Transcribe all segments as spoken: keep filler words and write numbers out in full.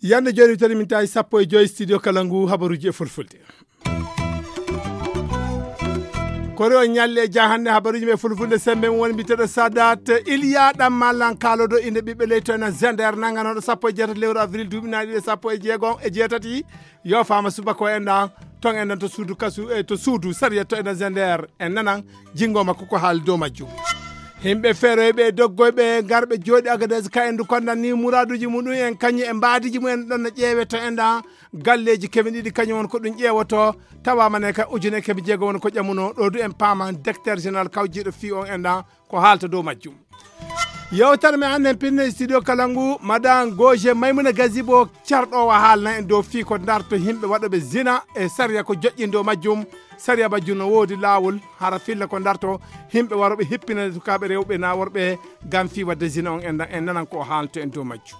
Yande joni tari min tawi sappo e joyi studio kala ngu habaruji e fulfulde. Kori on ñalle e ja hannde habaruji men fulfulde sembe mum woni mbiteɗo sadat iliya ɗam mallan kalodo inde ɓiɓɓe leyto ena zender nanganoɗo sappo e jeetati lewru avril duuɓi naɗi ɗe sappo e jeego e jeetati. Yo fama subaka o enɗan ton enɗan to suudu kasu e to suudu sariya to ena zender en nanan jingo makko ko haali dow majjum. Himɓe feroyɓe e doggoyɓe garɓe jooɗi agades ka endu kondan ni muraduji muɗum en kañum e mbaadiji mumen ɗon no ƴeewe to enɗan galleji keme ɗiɗi kañum won ko ɗum ƴeewoto. Tawama ne ka ujune keme jeego won ko ƴamuno ɗo du en paama directeur général kawjiɗo fi on enɗan ko haalta dow majjum. Yewtere men hannde en pinno e studio kala ngu madan goje maymuna gazibo carɗowo haalna en dow fii ko darto himɓe waɗoɓe zina e sariya ko joƴƴin dow majjum. Sariya majjum no woodi laawol hara filla ko darto himɓe waroɓe hippinande sukaaɓe rewɓe na worɓe ngam fii waɗde zina on en en nanan ko o haalto en dow majjum.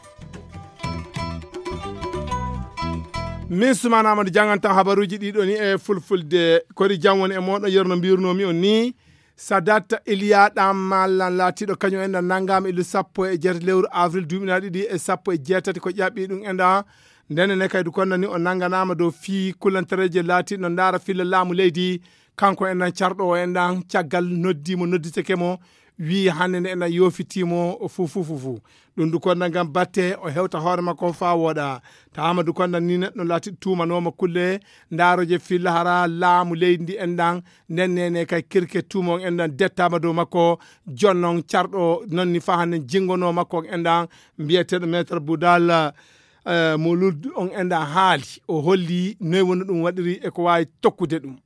Min sumana amadou jangantan habaruji ɗiɗo ni e fulfulde kori jam woni e moɗon yerno mbirnomi on ni. Sadat iliya ɗam mallan laatiɗo kañum enɗan nangama illu sappo e jeetati lewru avril duuɓi na ɗiɗi e sappo e jeetati ko ƴaɓɓi ɗum enɗan. Ndene ne kaydu konnani o nanganama dow fii kulantareje laatiɗo no ndaara filla laamu leydi. Kanko enɗan carɗo o enɗan caggal noddi mo nodditeke mo wi hannde nde enɗan yofitimo fuu fuu fuu fuu. Ɗum du konda ngam batte o hewta hoore makko fa wooɗa. Tawama du konda ni neɗɗo laati tuumanoma kulle. Ndaroje filla hara laamu leydi ndi enɗan nden nene kay kirke tuuma on enɗan dettama dow makko. Jonnon carɗo nonni fa hannde jingono makko on enɗan mbiyeteɗo maître boudal. Mo lud on enɗan haali o holli noy woni ɗum waɗiri e ko wawi tokkude ɗum.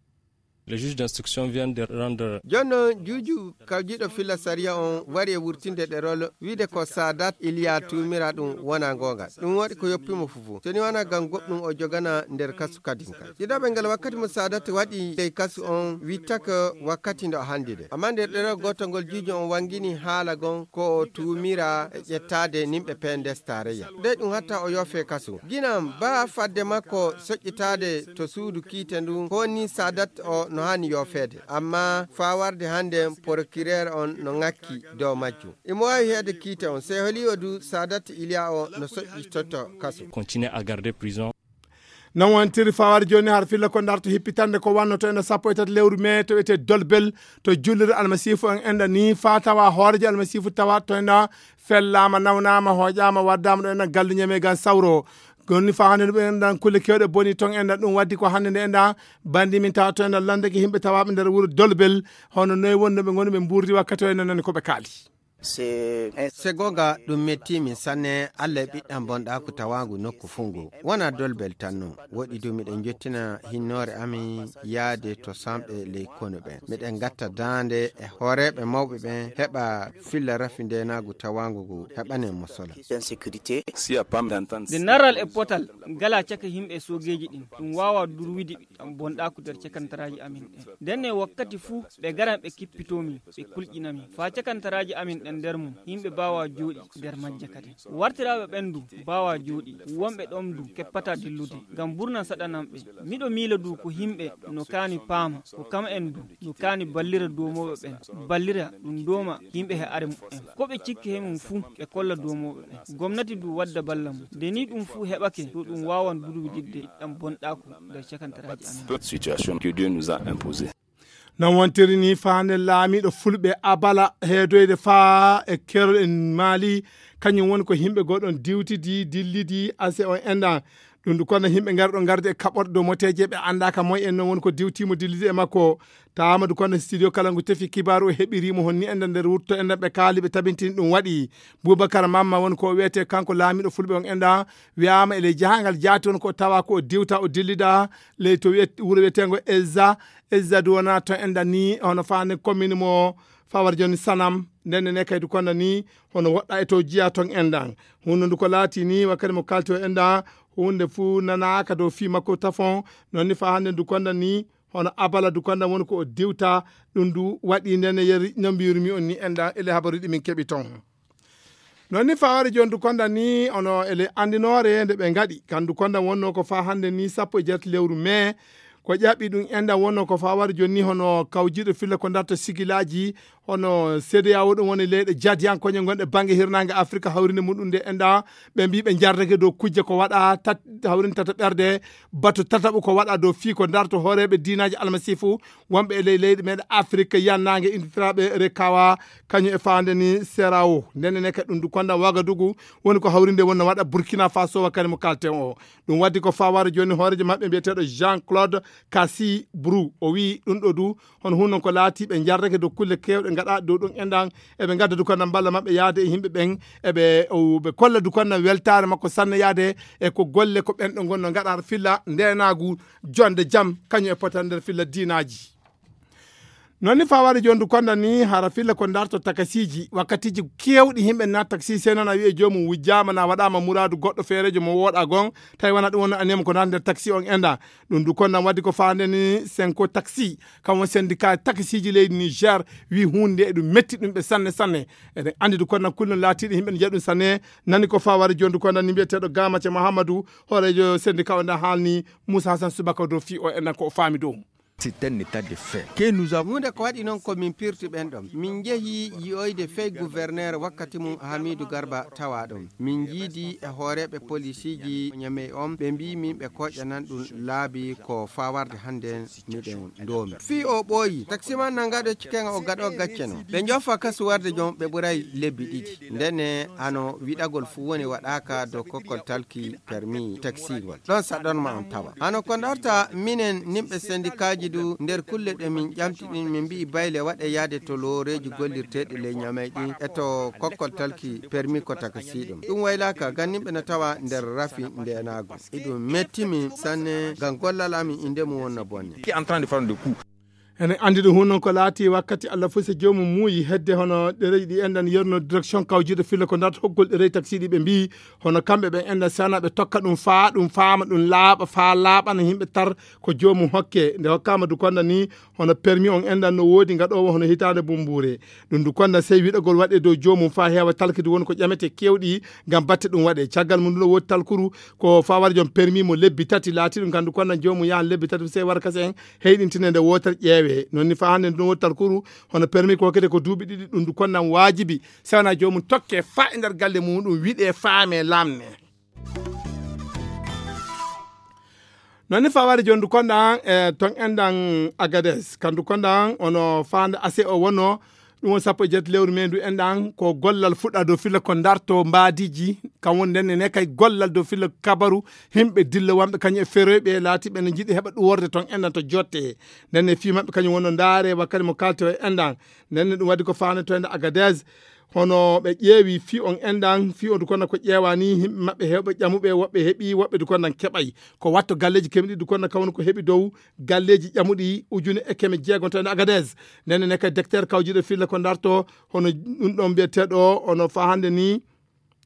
Le juge d'instruction vient de rendre. Jonno juuju kawjiɗo filla sariya on wari e wurtinde ɗerol wiide ko sadat iliya tumira ɗum wona gonga ɗum waɗi ko yoppimo fufu soni wona gam goɗɗum o jogana nder kasu kadin kay ɗiɗaɓe ngal wakkati mo sadat waɗi ley kasu on wittaka wakkati ndo handi de amma nder ɗerol gotol ngol juuju on wangini haala gon ko o tumira e ƴettade nimɓe pendes tareya dey ɗum hatta o yofe kasu ginam ba fadde makko soƴƴitade to suudu kiite ndun ko ni sadat o no hani yofeede amma fa warde hande procureur on no ŋakki dow majjum imo wawi heede kiite on sey holi o du sadat iliya o no soƴƴi totto kaso continue à garder prison. Non wontiri fawar joni har filla ko darto hippitande ko wannoto ene sappo e tati lewru mai to wiyete dolbel to julliri almasifu on enɗa ni fa tawa hoorejo almasifu tawa to enɗa fellama nawnama hoƴama waddama ɗo enɗa galluñame gan sawro gonni fa hande ɗum enɗan kulle kewɗe boni ton enɗan ɗum waddi ko hande nde enɗan bandi min tawa to enɗan landeke yimɓe tawaɓe nder wuuro dolbel hono noyi wonno ɓe goni ɓe mburdi wakkati o enɗan nani koɓe kaali. Se gonga ɗum metti min sanne allah e ɓiɗɗan bonɗaku tawagu nokku fungu wona dolbel tan non woɗi du miɗen jottina hinnoore amin yaade to samɓe ley konu ɓen miɗen gatta daande e hooreɓe mawɓe ɓen heɓa filla rafi ndenagu tawagu ngu heɓanen mo sola. Nde naral e potal gala caka yimɓe e sogeeji ɗin ɗum wawa durwidi ɓiɗɗam bonɗaku nder cakantaraaji amin ɗen ndenne wakkati fuu ɓe garan ɓe kippitomi ɓe kulƴinami faa cakantaraaji amin ɗen nder mum yimɓe baawa jooɗi nder majje kadi wartiraaɓe ɓen du baawa jooɗi wonɓe ɗon du keppata dillude ngam burnan saɗananɓe miɗo miila du ko yimɓe no kaani paama ko kam en du no kaani ballira duumooɓe ɓen ballira ɗum dooma yimɓe he are muɓɓen ko ɓe cikki he mum fuu ɓe kolla duumooɓe ɓen gomnati du wadda balla mum nde ni ɗum fuu heɓake to ɗum waawan durwididde ɗam bonɗaaku nder cakantaraaji amin. Situation que Dieu nous a imposée. Non wontiri ni faande laamiiɗo fulɓe abala heedoyde faa e kerol en maali kañum woni ko yimɓe goɗon diwtidi dillidi ase on enɗan ɗum du kono yimɓe ngarɗo ngarde e kaɓorɗe dow moteeje ɓe anndaaka moy en noon woni ko diwtiimo dillidi e makko. Taamadu kono studio kala ngu tefi kibaaru o heɓiriimo honni enɗan nder wurto enɗan ɓe kaali ɓe tabintini ɗum waɗi. Bubakar Mamma woni ko o wiyetee kanko laamiiɗo fulɓe on enɗan wiyaama e ley jahangal jaati woni ko tawa ko o diwta o dillida ley to wiyet wuro wiyeteengo ezza ezza du wona to enɗan ni hono faande commune mo fawar joni sanam. Nden ne kaydi kono ni hono woɗɗa e to jiya ton enɗan. Hunde ndu ko laati ni wakkati mo kalti o enɗan hunde fuu nanaaka dow fii makko tafon. Non ni fa hannde ndu konda ni hono abala ndu konda woni ko o diwta. Ɗum ndu waɗi nden ne yeri no mbiyirmi on ni enɗan ele habaruɗi min keɓi ton. Non ni fa wari joni ndu konda ni ono ele andinoore nde ɓe ngaɗi kan ndu konda wonno ko fa hannde ni sappo e jeetati lewru mai. Ko ƴaɓɓi ɗum enɗan wonno ko fawade jooni ni, hono kawjiiɗo filla ko darta sigilaaji, hono C D A O, ɗum woni leyɗe jadiyankoje gonɗe bannge hirnaange Afrika, hawrinde muɗum nde enɗan, ɓe mbii ɓe njardake dow kujje ko waɗa tat-, hawrinde tata ɓerde, batu tataɓo ko waɗa dow fii ko darto hooreeɓe diinaaji almasiifu wonɓe e ley leyɗe meɗen Afrika yannaange, indirtiraaɓe Rekawa, kañum e fawade ni C D A O. Ndenne ne kadi ɗum du konda Wagadugu woni ko hawrinde wonno waɗa Burkina Faso, wakkati mo kalten o. Ɗum waddi ko fawade jooni hooreejo maɓɓe mbiyeteeɗo Jean Claude Cassi Brou. O wii ɗum ɗo du, hono hun non ko laati ɓe njardake dow kulle keewɗe gaɗa dow ɗum enɗan, eɓe ngadda du konda mballa maɓɓe yaade e yimɓe ɓen, eɓe, o, ɓe kolla du konda weltaare makko sanne yaade e ko golle ko ɓen ɗo gonno gaɗa filla ndenaagu, jonde jam, kañum e potal nder filla diinaaji. Noon ni fawade jooni du konda ni hara filla ko darto takasiiji, wakkatiiji keewɗi yimɓe na taksi sey nana wi'e joomum wujjaama na waɗaama muraadu goɗɗo feereejo mo wooɗa gon, tawi wona ɗum wonno aniyam ko darta nder taksi on enɗan. Ɗum du konda waddi ko fawade ni Senko Taxi, kam woni syndicat takasiiji leydi Niger, wi huunde nde e ɗum metti ɗum ɓe sanne sanne. Eɗen anndi du konda kullum laatiiɗo yimɓe ne njiya ɗum sanne, nani ko fawade jooni du konda ni mbiyeteeɗo Gamace Mahamadou, hooreejo syndicat o nda haalni Moussa Hassan Subaka dow fii o enɗan ko o faami dow mum. C'est un état de fait que nous avons. Huunde ko waɗi noon ko min pirti ɓen ɗon. Min njehi yi'oyde fey gouverneur wakkati mum Hamidou Garba tawa ɗon. Min njiidi e hooreeɓe polisiiji Ñamey on, ɓe mbii min ɓe koƴanan ɗum laabi ko fawarde hannde miɗen ndoomi. Fii o ɓooyi, taksiman nan gaɗo ciken o gaɗo gacce non. Ɓe njofa kasu warde jom ɓe ɓuray lebbi ɗiɗi. Ndene hano wiɗagol fuu woni waɗaaka dow kokkol talki permis taxi ngol. Ɗon saɗon ma on tawa. Hano ko darta minen nimɓe sendikaaji du nder kulle ɗe min ƴamti ɗin, min mbi'i bayle waɗe yaade to looreeji gollirteeɗi ley Ñamey ɗin e to kokkol talki permis ko takasiiɗum. Ɗum waylaaka, ngam nimɓe na tawa nder rafi ndeenaagu. Iɗum metti min sanne, ngam gollal amin inde mum wonno bonne. Qui est en train de faire le coup. Enen anndi ɗum hun non ko laati wakkati Allah fof so joomum muuyi hedde hono ɗereji ɗi enɗan yerno direction kawjiiɗo filla ko darta hoggol ɗereji taksiiɗi ɓe mbii hono kamɓe ɓe enɗan sana ɓe tokka ɗum faa ɗum faama ɗum laaɓa faa laaɓana yimɓe tar ko joomum hokke nde hokkaama du konda ni hono permis on enɗan no woodi ngaɗoowo hono hitaande bumbuure. Ɗum du konda sey wiɗagol waɗe dow joomum faa heewa talkidi woni ko ƴamete keewɗi ngam batte ɗum waɗe. Caggal mum du no woodi talkuru ko faa wara joom permis mo lebbi tati laati ɗum kandu konda joomum yahan lebbi tati sey wara kasen heyɗintine nde wootere ƴeewe. Non ni faa hannde ndu woni talkuru hono permis ko hokkete ko duuɓi ɗiɗi ɗum ndu konnan waajibi sewna joomum tokke faa e nder galle muɗum wiɗe faame lamne. Non ni faa wari jooni ndu kondan e ton endan Agades kandu kondan ono faande ase o wonno ɗum woni sappo e jeetati lewru men ndu enɗan ko gollal fuɗɗa dow filla ko darto mbaadiji kam woni nden ne kay gollal dow filla kabaru himɓe dilla wamɓe kañum e feroyɓe laatiɓe ne jiɗi heɓa ɗum worde toon enɗan to jotte nden ne fii maɓɓe kañum wonno ndaare wakkati mo kalte o e enɗan nden ne ɗum waɗi ko faane to ende Agadez hono ɓe ƴeewi fii on enɗan fii on kono ko ƴeewani yimɓe maɓɓe hewɓe ƴamuɓe woɓɓe heɓi woɓɓe du konnan keɓay ko watto galleji kemɗi du konna kawno ko heɓi dow galleji ƴamuɗi ujune e keme jeegom to ende Agadez nden ne kay docteur kawjiɗo filla ko darto hono ɗum ɗon mbiyeteeɗo ono faa hannde ni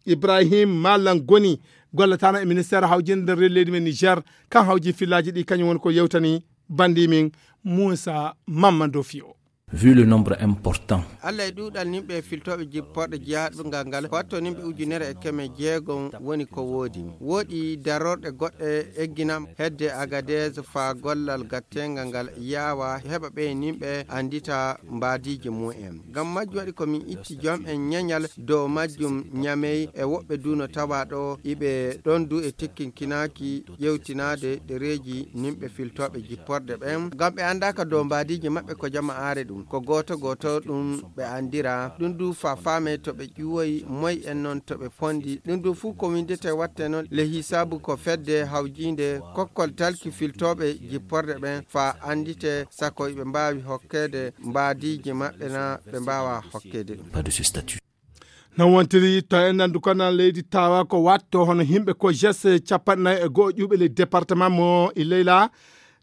Ibrahim Malam Goni gollatano e ministère hawjinde nder rewi leydi men Niger kan hawji fillaji ɗi kañum woni ko yewtani bandi min Moussa Mamadou Fio. Vu le nombre important. Allah e ɗuuɗal nimɓe filtooɓe jipporɗe jeyaaɗo ngal ngal ko watto nimɓe ujunere e keme jeegom woni ko woodi wooɗi darorɗe goɗɗe egginam hedde Agadez faa gollal gatteengal ngal yaawa heɓa ɓe nimɓe anndita mbaadiiji mum en ngam majjum waɗi ko min itti joom en ñeñal dow majjum ñamey e woɓɓe du no tawa ɗo iɓe ɗon du e tikkinkinaaki ƴewtinaade ɗereeji nimɓe filtooɓe jipporɗe ɓen ngam ɓe anndaaka dow mbaadiiji maɓɓe ko jama aare ɗum ko gooto gooto ɗum ɓe anndira ɗum du faa faamee to ɓe ƴuwoyi moy en non to ɓe pondi ɗum du fuu ko windete watte non le hisaabu ko fedde hawjiinde kokkol talki filtooɓe jipporɗe ɓen faa anndite sako iɓe mbaawi hokkeede mbaadiiji maɓɓe na ɓe mbaawa hokkeede ɗum. Pas de ce statut. Non wontiri to en nandu kono leydi tawa ko watto hono himɓe ko jes capanɗe nayi e go'o ƴuɓe ley département mo Ilela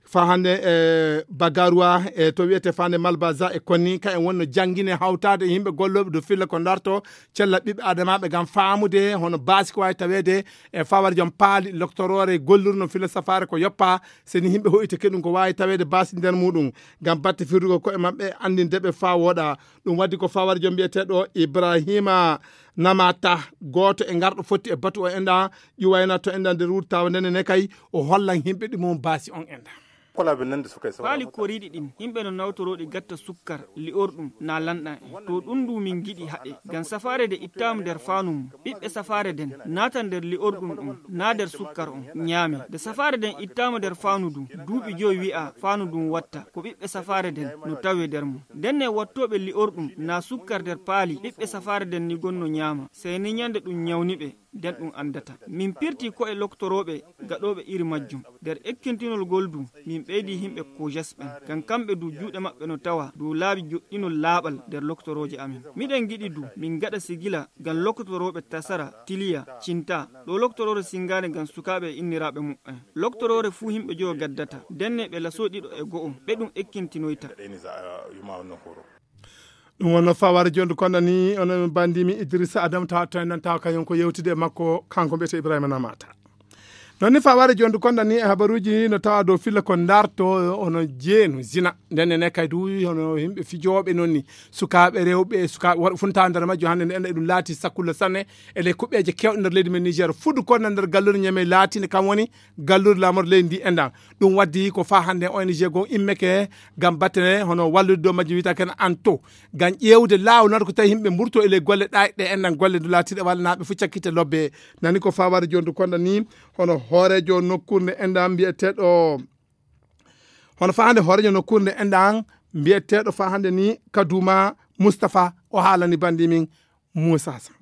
faa hannde e Bagaruwa e to wiyete fande Malbaza e konni ka en wonno janngine hawtaade e yimɓe gollooɓe dow filla ko darto cella ɓiɓɓe adamaaɓe ngam faamude hono baasi ko waawi taweede e fawar joom paali loktoroore gollurno filla safaare ko yoppa seni yimɓe hoytike ɗum ko waawi taweede baasi nder muɗum ngam batte firdugo koye maɓɓe anndinde ɓe faa wooɗa ɗum waddi ko fawar joom mbiyeteeɗo Ibrahima Namata gooto e ngarɗo fotti e batu o enɗa ƴuwayna to enɗa nder wurtawa ndene ne kay o hollan yimɓe ɗi mum baasi on enɗa. Paali koriiɗi ɗin, yimɓe no nawtorooɗi gatta sukkar li'orɗum naa lanɗan en. To ɗum ndu min ngiɗi haɗe, ngam safaare nden ittaama nder faanu mum. Ɓiɓɓe safaare nden naata nder li'orɗum ɗum naa nder sukkar on, ñaame. Nde safaare nden ittaama nder faanu ndun, duuɓi jowi wi'aa faanu ndun watta ko ɓiɓɓe safaare nden no tawee nder mum. Ndenne wattooɓe li'orɗum naa sukkar nder paali ɓiɓɓe safaare nden ni gonno ñaama, sey ni ñande ɗum ñawni ɓe, nden ɗum anndata. Min pirtii ko'e loktorooɓe gaɗooɓe iri majjum. Nder ekkintinol ngol du, min ɓeydii yimɓe kojes ɓen, ngam kamɓe du juuɗe maɓɓe no tawa dow laabi joɗɗinol laaɓal nder loktorooje amin. Miɗen ngiɗi du min ngaɗa sigila ngam loktorooɓe Tasara, Tiliya, Cinta, ɗo loktoroore singaande ngam sukaaɓe e inniraaɓe muɓɓen. Loktoroore fuu yimɓe jowo gaddata, ndenne ɓe lasoo ɗiɗo e go'o, ɓe ɗum ekkintinoyta. Ɗum wonno fawaare jondu konda ni, ono bandimi Idrissa Adam, tawa to en nan tawa kañum ko yewtude e makko, kanko mbiyetee Ibrahima Namata. Non ni fawaare jondu konda ni e habaruuji no tawa dow filla ko ndarto ono jeenu zina. Nden ne kay du hono yimɓe fijooɓe non ni, sukaaɓe rewɓe, sukaaɓe worɓe fuu no tawa nder majjum. Hannde ne enɗa ɗum laati sakkulla sanne e ley kuɓeeje keewɗe nder leydi men Niger. Fuɗɗo ko nder galluure Niamey laatinde kam woni galluure laamorde leydi ndi enɗan. Ɗum waddi ko faa hannde O N G goo immeke ngam batte hono wallude dow majjum, wiyata ken Anto, ngam ƴeewde laawol nodde ko tawi yimɓe mburto e ley golle ɗaay ɗe enɗan, golle ndu laatiiɗe walla naa ɓe fof cakkite lobbe. Nani ko fawaade jondu konda ni, hono hooreejo nokkuure nde enɗan mbiyeteeɗo, hono faa hannde hooreejo nokkuure nde enɗan mbiyeteeɗo faa hannde ni Kaduma Moustapha, o haalani bandi min Moussa Hassan.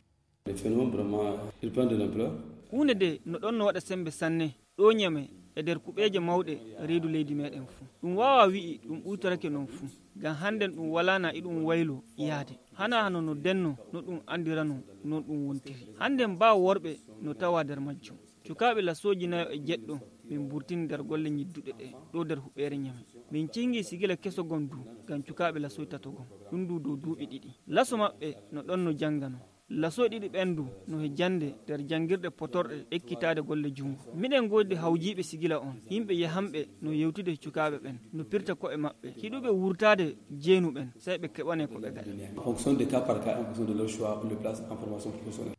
Le phénomène vraiment, il prend de l'ampleur. Huunde de no ɗon no waɗa sembe sanne, ɗo Niamey e nder kuɓeeje mawɗe reedu leydi meɗen fuu. Ɗum waawaa wi'i ɗum ɓuytorake non fuu, ngam hannden ɗum walaa na iɗum waylo yaade. Hanaa hano no denno no ɗum anndiranoo, non ɗum wontiri. Hannden baa worɓe no tawaa nder majjum. Cukaaɓe lasooji nayo e jeɗɗo min mburtini nder golle ñidduɗe ɗe ɗo nder huɓeere Niamey. Min cingi sigila keso gon du ngam cukaaɓe lasooji tato gon, ɗum du dow duuɓi ɗiɗi. Laso maɓɓe no ɗon no jannganoo. Lasooji ɗiɗi ɓen du no he jannde nder janngirɗe potorɗe ekkitaade golle junngo. Miɗen ngoodi hawjiiɓe sigila on, yimɓe yahanɓe no yewtude he cukaaɓe ɓen, no pirta ko'e maɓɓe. Hiɗuɓe wurtaade jeenu ɓen, sey ɓe keɓanee ko ɓe gaɗi. En fonction des cas par cas, en fonction de leur choix, on les place en formation professionnelle.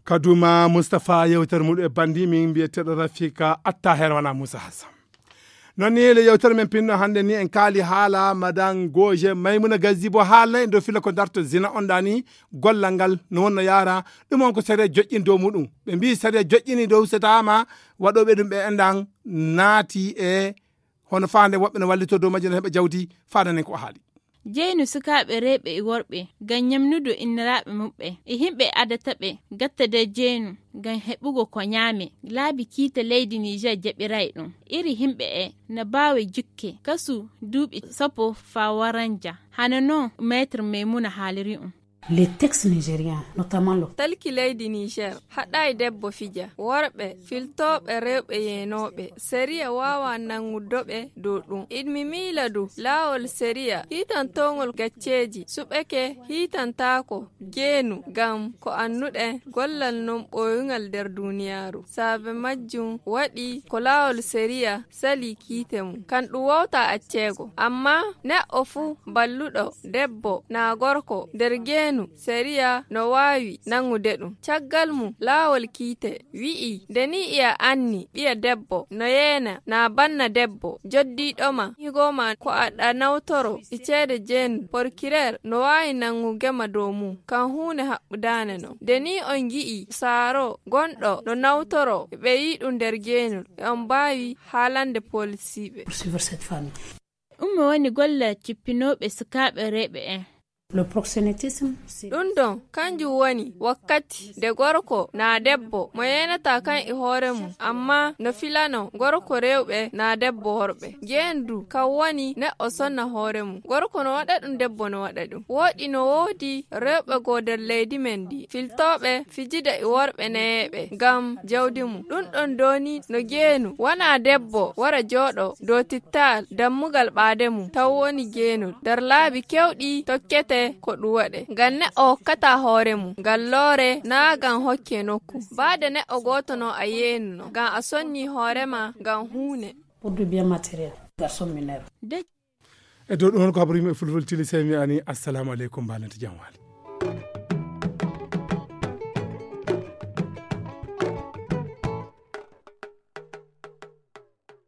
Kaduma Moustapha, yewtere muɗum e bandi min mbiyeteeɗo Rafika Attaher, wona Moussa Hassan. Non ni le yewtere men pinno hannde ni en kaali haala Madame Goje Maimouna Gazibo, haalna en dow filla ko darto zina on ɗani, gollal ngal no wonno yaara, ɗum on ko sariya joƴƴini dow muɗum. Ɓe mbii sariya joƴƴini dow so taama waɗooɓe ɗum ɓe enɗan naati e hono faande woɓɓe no wallitoo dow majjum no heɓa jawdi, faadanen ko o haali. Jeynu sukaaɓe rewɓe e worɓe ngam ñamnude inniraaɓe muɓɓe e yimɓe adata ɓe gatta nder jeynu ngam heɓugo ko ñaame. Laabi kiite leydi Niger jaɓiray ɗum. Iri yimɓe e na baawi jukke kasu duuɓi sappo faa waranja. Hano non Maître Maimouna haaliri ɗum. Les textes nigériens, notamment le Talki leydi Niger haɗaay debbo fija. Worɓe filtooɓe rewɓe yeenooɓe, sariya waawaa nanngudoɓe dow ɗum. Iɗmi miila du laawol sariya hiitantoongol gacceeji suɓeke hiitantaako jeenu ngam ko annuɗen gollal non ɓooyungal nder duuniyaaru. Saabe majjum waɗi ko laawol sariya sali kiite mum. Kan ɗum wowta acceego. Ammaa neɗɗo fuu balluɗo, debbo naa gorko, nder jeenu, sariya no waawi nanngude ɗum. Caggal mum, laawol kiite wi'i, nde nii iya anni ɓiya debbo no yeena naa banna debbo joddiiɗo ma, higoo ma ko aɗa nawtoro e ceede jeenu, porkireer no waawi nanngude ma dow mum, kan huunde haɓɓudaane non. Nde nii on ngi'i saaro gonɗo no nawtoro ɓe yi'i ɗum nder jeenu, e on mbaawi haalande poolisiiɓe. Poursuivre cette famille. Ɗum woni golle cippinooɓe sukaaɓe rewɓe en. Le proxénétisme, c'est Ɗum ɗon, kanjum woni wakkati nde gorko naa debbo mo yeenataa kan e hoore mum, ammaa no filano gorko rewɓe naa debbo worɓe. Jeendu kan woni neɗɗo sonna hoore mum. Gorko no waɗa ɗum, debbo no waɗa ɗum. Woɗi no woodi rewɓe goo nder leydi men ndi, filtooɓe fijida e worɓe neyeeɓe ngam jawdi mum. Ɗum ɗon dooni no jeenu wona debbo wara jooɗo dow tittal dammugal ɓaade mum, taw woni jeenol. Nder laabi keewɗi tokkete ko ɗum waɗe. Ngam neɗɗo hokkataa hoore mum ngal loore naa ngam hokke nokku. Baade neɗɗo gooto no a yeenuno ngam a sonni hoore ma ngam huune. Pour du bien matériel, garçon mineur. E dow ɗum, on ko habaru yimɓe fulfulde tili, sey mi ani, assalamu aleykum, mbalante jam waali.